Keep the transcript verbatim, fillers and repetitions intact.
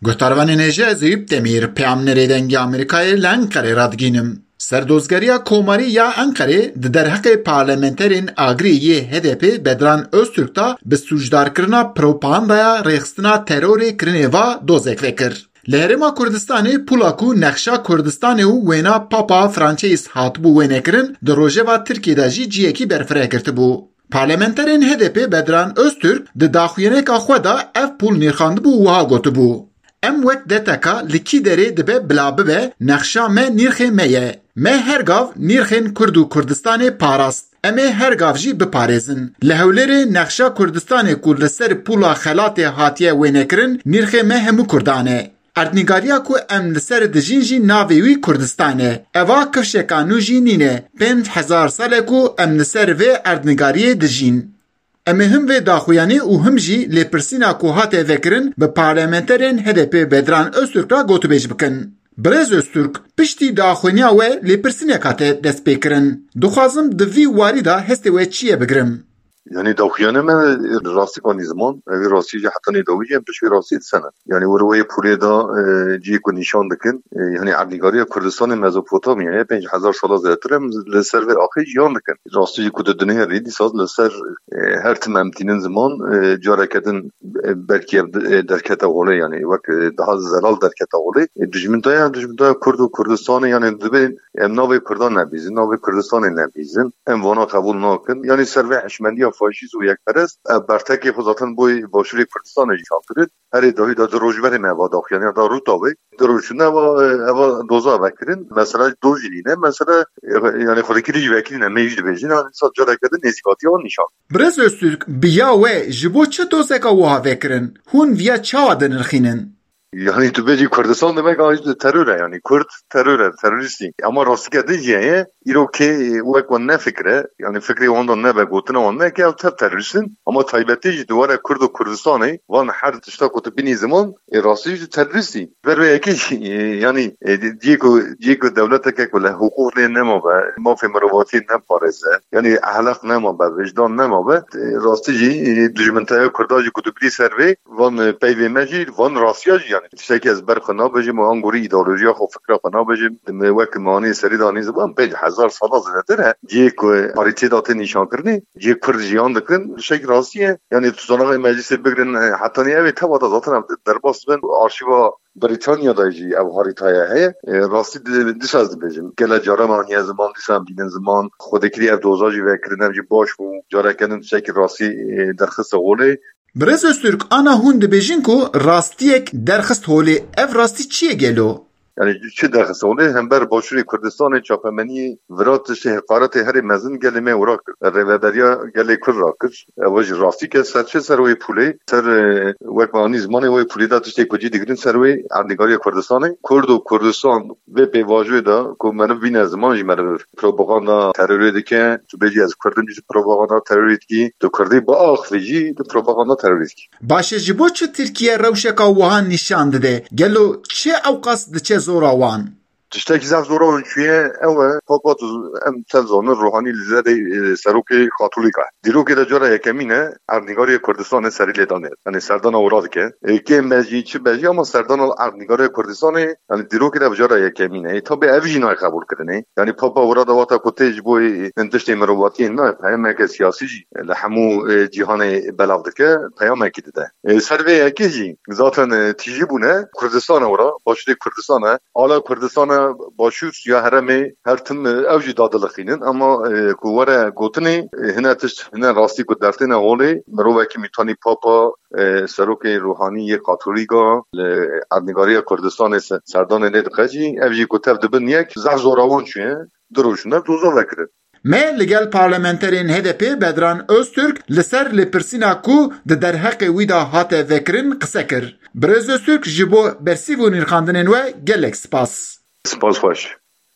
Guhdarvanên hêja, ez Eyûp Demîr, peyamnerê Dengê Amerîkayê li Enqerê radigînim. Serdozgeriya Komarî ya Enqerê di derheqê parlamenterên agirê yê H D P Bedran Öztürk de bi sûcdarkirina propagandaya rêxistina terorê kirinê va dozek vekir. Li Herêma Kurdistanê pûla ku nexşa Kurdistanê û wêna Papa Francis hatibû wênekirin, di rojeva Tirkiyê de jî cihekî berfireh girtibû. Parlamenterên H D P Bedran Öztürk di daxuyaneka xwe de ev pûl nirxandibû û wiha gotibû, "Em wek deteka li kî derê dibe bila bibe, nexşa me nirxê me ye. Me her gav nirxên Kurd û Kurdistanê parast. Em ê her gav jî biparêzin. Li Hewlêrê nexşa Kurdistanê ku li ser pûla xelatê hatiye wênekirin, nirxê me hemû Kurdan e. Erdnîgariya ku em li ser dijîn jî navê wî Kurdistan e. Eva kifşeka nû jî nîne. Pênc hezar sal e ku em li ser vê erdnîgariyê dijîn." Em ê him vê daxuyanî û him jî lêpirsîna ku hate vekirin bi parlamenterên H D P Bedran Öztürk re gotûbêj bikin. Birêz Öztürk, piştî daxuyaniya we lêpirsîneka te dest pê kirin. Dixwazim di vî warî de hestê we çi ye bigirim. Yanî daxuyane me rastî kanî ziman, ev rastî jî heta nê dawî jî em pişt vê rastî disene. Yanî wir wê pûlê de, e, cihê ku nîşan dikin, e, yanî erdnîgariya Kurdistanê Mezopotamyayê pênc hezar sala zêdetir em li ser vê axê jiyan dikin. Rastî jî ku di dinyayê rê dîsa li ser, e, her tim em tînin ziman, e, careke din, e, belkî ev, e, derkete holê, yanî wek, e, daha zelal derkete holê. E, dijmintaya, dijmintaya Kurd û Kurdistanê, yanî divê em navê Kurdan nebîzin, navê Kurdistanê nebîzin. Em vana qebûl nakin. Yanî ser vê hişmendiya faşîst û yekperest, ev bertekê xwe zaten boy Başûrê Kurdistanê jî şantirin. Herê dawî de di rojberê me va daxuyaniya da Rûtawê. Di roj şûne eva, eva doza vekirin. Mesela doz jî nîne. Mesela, e, yanî xwedekirî jî vekirîne. Me jî dibêjin. Yanî sa careke din nêzîkatiya wan nîşan. Birêz Öztürk, bi ya we ji bo çi dozeka wiha vekirin? Hûn viya çawa dinirxînin? Yanî tu bêjî Kurdistan demek a terör e, yanî Kurd terör e, terorîstî. Ama rastîke din jî heye, îro kê wek wan nefikire, yanî fikrê wan de nebe, gotina wan neke, ew tev terorîst in. Ama taybetî jî di were Kurd û Kurdistanê, van her tişta ku tu bînî ziman, ê rastî jî terorîstî. Ber vê yekê jî, e, yanî, e, di-, cihê ku, cihê ku dewleteke ku li hiqûq lê nemabe, mafê mirovatiyê neparêze, yanî ehlaq nemabe, wijdan nemabe, e, rastî jî, e, dijminteya Kurda jî ku tu bînî ser vê, van, e, peyvê me jî, van rastiya jî, yanî tiştekî ez ber xwe nabêjim û angorî îdeolojiya xwe, fikra xwe nabêjim, me wek me anî serî de anî ziman, pênc hezar sala zêdetir e. Cihê ku parîtê de tê nîşankirinê, cihê Kurd jiyan dikin, tiştekî rastî ye. Yanî tu zanaxê meclîsê bigirin, e, hetanî ev ê teva de zaten ev derbas bin, arşîva Brîtanya de jî ev harîtaya heye. E, rastî di-, dîsa ez dibêjim. Gele cara me aniye ziman, dîsa em bînin ziman. Xwedekirî ev doza jî vekirin, ev jî baş bû. Careke din tiştekî rastî, e, derxiste holê. Birêz Öztürk, ana hûn dibêjin ku rastiyek derxist holê, ev rastî çi ye gelo? Yanî çi derxist holê? Hember Başûrê Kurdistanê çapemeniyê vira tiştê heqaretê herê mezin gelê me wira kir. Rêveberiya gelê Kurd ra kir. Ew jî rastî ke ser çi, ser wê pûlê, ser, e, wek me anî zimanê wê pûlê de tiştê ku cî digirin ser wê erdnîgariya Kurdistanê. Kurd û Kurdistan vê pêvajoyê de ku meriv bîne ziman jî meriv propaganda terorê dike. Tu bêjî ez Kurd im jî tu propaganda terorê dikî. Tu Kurdî biaxivî jî tu propaganda terorê dikî. Baş e, ji bo çi Tirkiye rewşeka wiha nîşan dide? Gelo çi ewqas diçe zora wan? Tiştekî zaf zora wan çûye, ew e, Papa tu em tev zanin, Ruhanî li derê, e, serokê Katolîk e. Dîrokê de cara yekemîn e, erdnîgarê Kurdistanê serî lê danê. Yanî serdana wira dike. E, kêm be jî, çi be jî, ama serdana erdnîgarê Kurdistanê, yanî dîrokê de bi cara yekemîn e. E, tabi ev jî nayê qebûlkirinê. Yanî Papa wira de wata ku tê ji bo, e, hin tiştê mirovatiyê nayê, peyameke siyasî jî li hemû, e, cîhanê belav dike, peyamekî dide. E, ser vê yekê jî zaten, e, tîjî bûne Kurdistana wira, Başûrê Kurdistana, ala Kurdistana Başûr ya herêmê her tim, e, ew jî dadilixînin. Ama, e, ku were gotinê, e, hine tişt, hine rastî ku dertêne holê, mirovekî mîtanî Papa, e, serokê Ruhanî yê Katolîka li erdnîgariya Kurdistanê se-, serdanê lê dixe jî, ev jî ku tev dibin yek, zaf zora wan çûye, du roj ne doza vekirin. Me li gel parlamenterên H D P Bedran Öztürk li ser lêpirsîna ku di derheqê wî de hate vekirin qise kir. Birêz Öztürk ji bo bersîv û nirxandinên we gelek spas. Spas xweş.